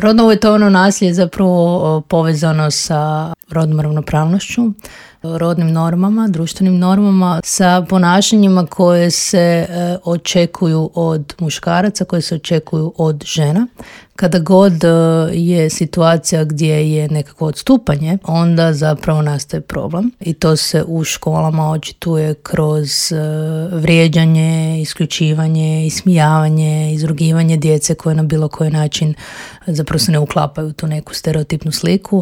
Rodno uvjetovano nasilje je zapravo povezano sa rodnom ravnopravnošću, rodnim normama, društvenim normama, sa ponašanjima koje se očekuju od muškaraca, koje se očekuju od žena. Kada god je situacija gdje je nekako odstupanje, onda zapravo nastaje problem. I to se u školama očituje kroz vrijeđanje, isključivanje, ismijavanje, izrugivanje djece koje na bilo koji način zapravo se ne uklapaju u tu neku stereotipnu sliku.